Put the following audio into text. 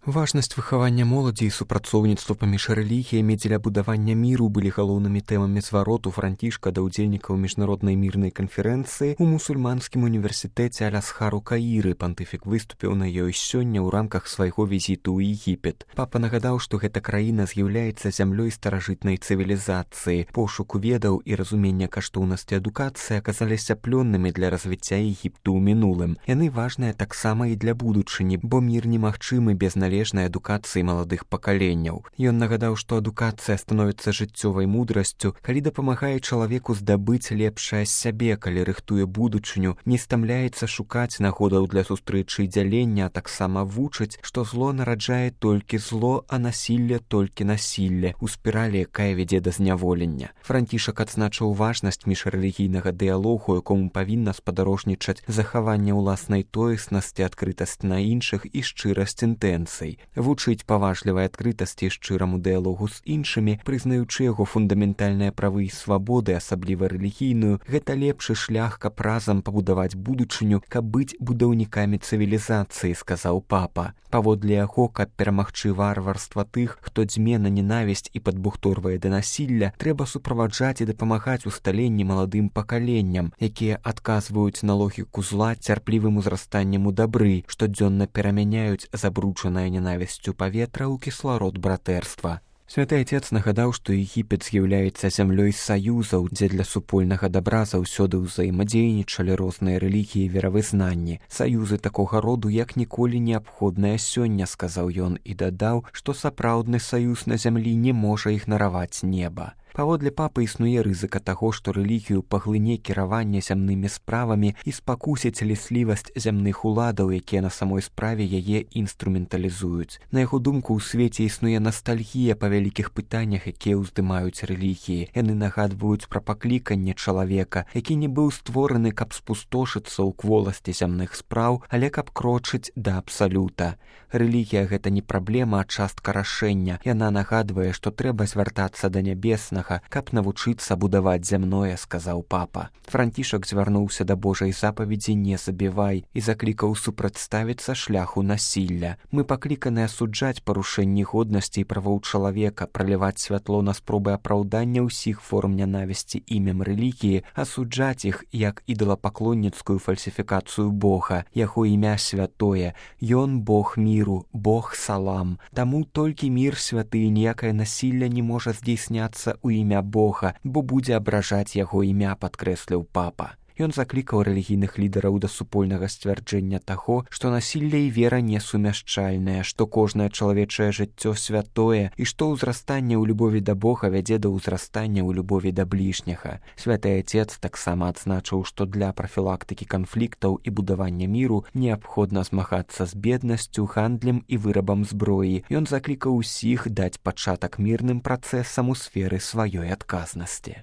Важнасць выхавання моладзі і супрацоўніцтва паміж рэлігіямі дзеля будавання міру былі галоўнымі тэмамі звароту Францішка да ўдзельнікаў міжнароднай мірнай канферэнцыі ў мусульманскім універсітэце Аль-Азхар у Каіры. Пантыфік выступіў на ёй сёння ў рамках свайго візіту ў Егіпет. Папа нагадаў, што гэта краіна з'яўляецца зямлёй старажытнай цывілізацыі. Пошуку ведаў і разумення каштоўнасці адукацыі аказаліся плённымі для развіцця Егіпту ў мінулым. Яны важныя таксама і для будучыні, бо мір немагчымы без належнай адукацыі маладых пакаленняў. Ён нагадаў, што адукацыя становіцца жыццёвай мудрасцю, калі дапамагае чалавеку здабыць лепшае з сябе, калі рыхтуе будучыню, не стамляецца шукаць нагодаў для сустрэчы і дзялення, а таксама вучыць, што зло нараджае толькі зло, а насілле толькі насілле, у спіралі, якая вядзе да зняволення. Францішак адзначыў важнасць міжрэлігійнага дыялогу, якому павінна спадарожнічаць захаванне ўласнай тоеснасці, адкрытасць на іншых і шчырасць інтэнцый. Вучыць паважлівай адкрытасці і шчыраму дыялогу з іншымі, прызнаючы яго фундаментальныя правы і свабоды, асабліва рэлігійную, гэта лепшы шлях, каб разам пабудаваць будучыню, каб быць будаўнікамі цывілізацыі, сказаў папа. Паводле яго, каб перамагчы варварства тых, хто дзьме на ненавісць і падбухторвае да насілля, трэба суправаджаць і дапамагаць усталенні маладым пакаленням, якія адказваюць на логіку зла цярплівым узрастаннем у дабры, штодзённа перамяняюць забруджанае ненавісцю паветра ў кісларод братэрства. Святы Отец нагадаў, што Егіпет з'яўляецца зямлёй саюзаў, дзе для супольнага дабра заўсёды ўзаемадзейнічалі розныя рэлігіі і веравызнанні. Саюзы такога роду як ніколі неабходныя сёння, сказаў ён і дадаў, што сапраўдны саюз на зямлі не можа ігнараваць неба. Паводле папы існуе рызыка таго, што рэлігію паглыне кіраванне зямнымі справамі і спакусіць ліслівасць зямных уладаў, якія на самой справе яе інструменталізуюць. На яго думку, у свеце існуе настальгія па вялікіх пытаннях, якія ўздымаюць рэлігіі. Яны нагадваюць пра пакліканне чалавека, які не быў створаны, каб спустошыцца ў кволасці зямных спраў, але каб крочыць да абсалюта. Рэлігія — гэта не праблема, а частка рашэння. Яна нагадвае, што трэба звяртацца да нябеснага, каб навучыцца будаваць зямное, сказаў папа. Францішак звярнуўся да Божай запаведзі «Не забівай» і заклікаў супрацьставіцца шляху насілля. Мы пакліканы асуджаць парушэнні годнасці і правоў чалавека, праліваць святло на спробы апраўдання ўсіх форм нянавісці імем рэлігіі, асуджаць іх як ідалапаклонніцкую фальсіфікацыю Бога. Яго імя святое. Ён Бог міру, Бог салам. Таму толькі мір святы і ніякае насілля не можа здзейсняцца ў імя Бога, бо будзе абражаць яго імя, падкрэсліў папа. Ён заклікаў рэлігійных лідараў да супольнага сцвярджэння таго, што насілле і вера несумяшчальныя, што кожнае чалавечае жыццё святое і што ўзрастанне ў любові да Бога вядзе да ўзрастання ў любові да бліжняга. Святы Отец таксама адзначыў, што для прафілактыкі канфліктаў і будавання міру неабходна змагацца з беднасцю, гандлем і вырабам зброі. Ён заклікаў усіх даць пачатак мірным працэсам у сферы сваёй адказнасці.